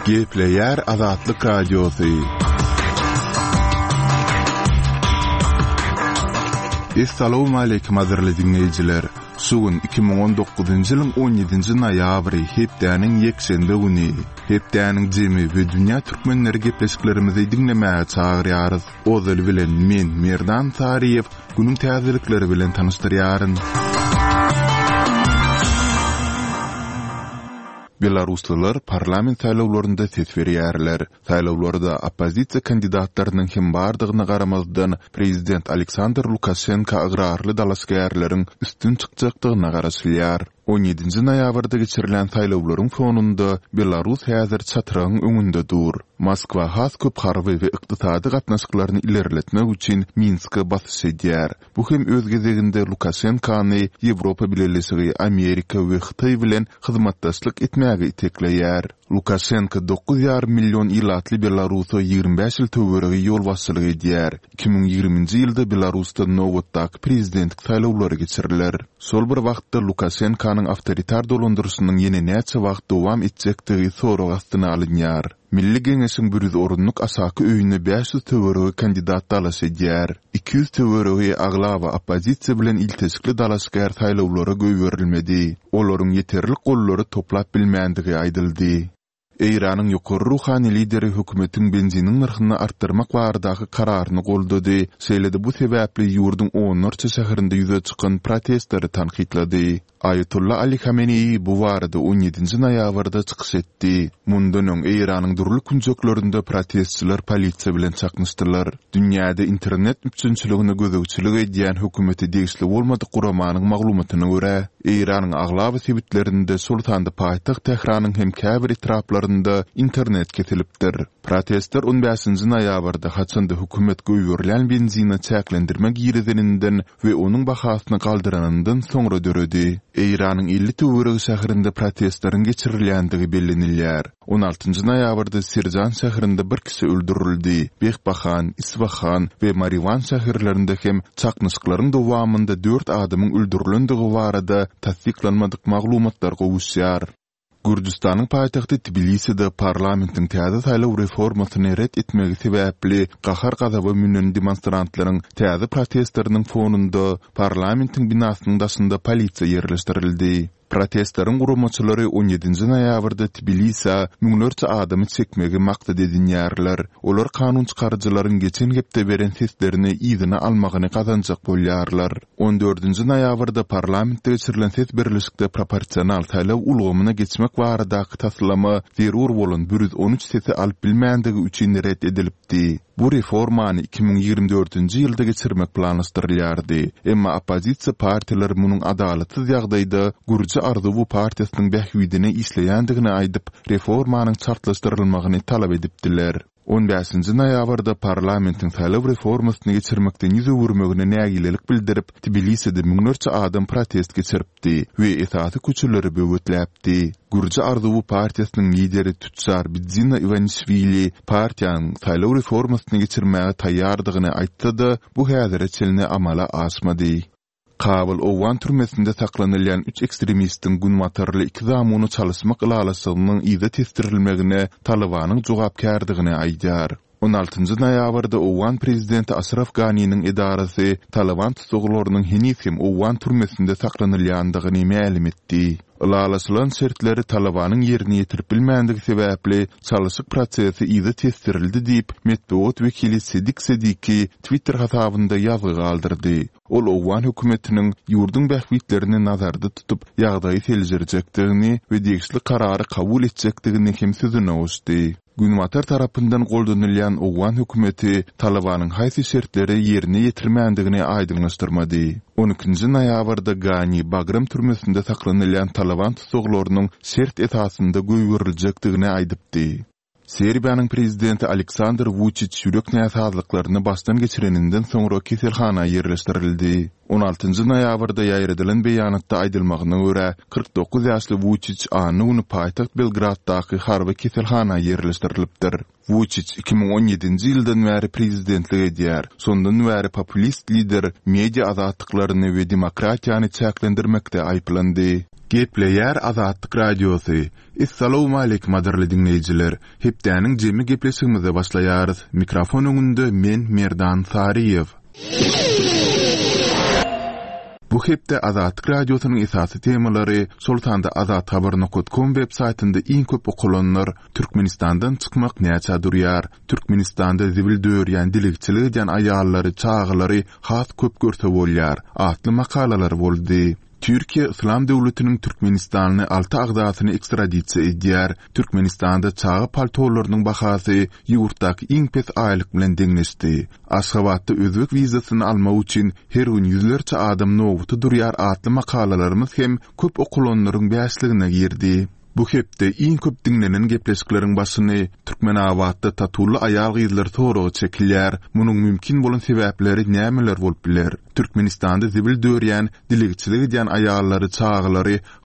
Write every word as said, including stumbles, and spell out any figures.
Gepleýär Azatlyk Radiosy. Essalawmaleýkim gadyrly diňleýjiler! Şu gün iki müň on dokuzynjy ýylyň on ýedinji noýabry, hepdäniň ýekşenbe güni. Hepdäniň jemi we dünýä türkmenleri gepleşiklerimizi diňlemäge çagyrýarys. Ozaly bilen men, Merdan Saryýew, günüň täzelikleri bilen tanyşdyrýaryn. Belaruslylar parlament saýlawlarynda ses berýärler. Saýlawlarda oppozisiýa kandidatlarynyň hem bardygyna garamazdan, prezident Aleksandr Lukaşenko ygrarly dalaşgärleriň üstün çykjakdygyna garaşylýar. On ýedinji noýabrda geçirilen saýlawlaryň fonunda Belarus häzir çatrygyň öňünde dur. Moskwa has köp harby we ykdysady gatnaşyklaryny ilerletmek üçin Minske basyş edýär. Bu hem öz gezeginde Lukaşenkony Ýewropa Bileleşigi, Amerika we Hytaý bilen hyzmatdaşlyk etmäge itekleýär. Lukaşenko dokuz ýarym million ilatly Belarusa ýigrimi bäş ýyl töweregi ýolbaşçylyk edýär. Iki müň ýigriminji ýylda Belarusda nobatdaky prezidentlik saýlawlary geçiriler. Şol bir wagtda Lukaşenkonyň awtoritar dolandyryşynyň ýene näçe wagt dowam etjekdigi sorag astyna alynýar. Milli Geňeşiň bir ýüz orunlyk aşaky öýüne bäş ýüz töweregi kandidat dalaş edýär. Iki ýüz töweregi aglaba oppozisiýa bilen ilteşikli dalaşgär saýlawlara goýberilmedi. Olaryň ýeterlik gollary toplap bilmändigi aýdyldy. Eýranyň ýokary ruhany lideri hökümetiň benziniň nyrhyny artdyrmak baradaky kararyny goldady, şeýle-de bu sebäpli ýurduň onlarça şäherinde ýüze çykan protestleri tankytlady. Aýatolla Ali Hameneýi bu barada on ýedinji noýabrda çykyş etdi. Mundan öň Eýranyň dürli künjeklerinde protestçiler polisiýa bilen çaknyşdylar. Dünýäde internet üpjünçiligine gözegçilik edýän hökümete degişli bolmadyk guramanyň maglumatyna görä, Eýranyň aglaba sebitlerinde, şol sanda paýtagt Tähranyň hem käbir etraplarynda internet kesilipdir. Protestler on bäşinji noýabrda, haçanda hökümet goýberilýän benzine çäklendirme girizeninden we onuň bahasyny galdyranyndan soňra döredi. Eýranyň elli töweregi şäherinde protestleriň geçirilýändigi bellenilýär. On altynjy noýabrda Sirjan şäherinde bir kişi öldürildi. Behbahan, Isfahan we Mariwan şäherlerinde hem çaknyşyklaryň dowamynda dört adamyň öldürilendigi barada tassyklanmadyk maglumatlar gowuşýar. Gürjüstanyň paýtagty Tbiliside parlamentiň täze saýlaw reformasyny ret etmegi sebäpli gahar-gazaba münen demonstrantlaryň täze protestleriniň fonunda parlamentiň binasynyň daşynda polisiýa ýerleşdirildi. Protestleriň guramaçylary on ýedinji noýabrda Tbilisä müňlerçe adamy çekmegi maksat edinýärler. Olar kanun çykaryjylaryň geçen hepde beren seslerini yzyna almagyny gazanjak bolýarlar. On dördünji noýabrda parlamentde geçirilen ses berlişikde proporsional saýlaw ulgamyna geçmek baradaky taslama zerur bolan bir ýüz on üç sesi alyp bilmändigi üçin ret edilipdi. Bu reformany iki müň ýigrimi dördünji ýylda geçirmek planlaşdyrylýardy. Emma oppozisiýa partiýalary munuň adalatsyz ýagdaýda Gürji arzuwy partiýasynyň bähbidine işleýändigini aýdyp, reformanyň çaltlaşdyrylmagyny talap edipdiler. On bäşinji noýabrda parlamentiň saýlaw reformasyny geçirmekden ýüz öwürmegine nägilelik bildirip, Tbiliside müňlerçe adam protest geçiripdi we esasy köçeleri böwetläpdi. Gürji arzuwy partiýasynyň lideri tüçjar Bidzina Iwanişwili partiýanyň saýlaw reformasyny geçirmäge taýýardygyny aýtsa-da, bu häzire çenli amala aşmady. Kabul owgan türmesinde saklanylýan üç ekstremistiň günbatarly iki zamuny çalyşmak ylalaşygynyň yza tesdirilmegine Talybanyň jogapkärdigini aýdýar. On altynjy noýabrda owgan prezidenti Aşraf Ganiniň edarasy Talyban tussaglarynyň heniz hem owgan türmesinde saklanylýandygyny mälim etdi. Ylalaşylan şertleri Talybanyň ýerine ýetirip bilmändigi sebäpli çalyşyk prosesi yza tesdirildi diýip, metbugat wekili Sedik Sediki Twitter hasabynda ýazgy galdyrdy. Ol owgan hökümetiniň ýurduň bähbitlerini nazarda tutup, ýagdaýy seljerjekdigini we degişli karary kabul etjekdigini hem sözüne goşdy. Günbatar tarapyndan goldanylýan owgan hökümeti Talybanyň haýsy şertleri ýerine ýetirmändigini aýdyňlaşdyrmady. On ikinji noýabrda Gani Bagram türmesinde saklanylýan Talyban tussaglarynyň şert esasynda goýberiljekdigini aýdypdy. Serbiýanyň prezidenti Aleksandr Wuçiç ýürek näsazlyklaryny başdan geçireninden soňra keselhana ýerleşdirildi. On altynjy noýabrda ýaýradylan beýanatda aýdylmagyna görä, kyrk dokuz ýaşly Wuçiç anna güni paýtagt Belgraddaky harby keselhana ýerleşdirilipdir. Wuçiç iki müň on ýedinji ýyldan bäri prezidentlik edýär. Şondan bäri populist lider media azatlyklaryny we demokratiýany çäklendirmekde aýyplandy. Gepleýär Azatlyk Radiosy. Essalawmaleýkim gadyrly diňleýjiler. Hepdäniň jemi gepleşigimize başlaýarys. Mikrofon öňünde men Merdan Saryýew. Bu hepde Azatlyk Radiosynyň esasy temalary, şol sanda azathabar nokta com web saýtynda iň köp okalanlar, Türkmenistandan çykmak näçä durýar, Türkmenistanda zibil dörýän dilegçilik edýän aýallary, çagalary has köp görse bolýar atly makalalar boldy. Türkiýe Yslam döwletiniň Türkmenistanly alty agzasyny ekstradisiýa edýär. Türkmenistanda çaga paltolarynyň bahasy ýurtdaky iň pes aýlyk bilen deňleşdi. Aşgabatda özbek wizasyny almak üçin her gün ýüzlerçe adam nobata durýar atly makalalarymyz hem köp okulanlaryň bäşligine girdi. Bu hepde iň köp diňlenen gepleşikleriň başyny Türkmenabatda tatully aýal-gyzlar soragy çekilýär. Munuň mümkin bolan sebäpleri nämeler bolup biler? Türkmenistanda zibil dörýän, dilegçilik edýän aýallary, çagalary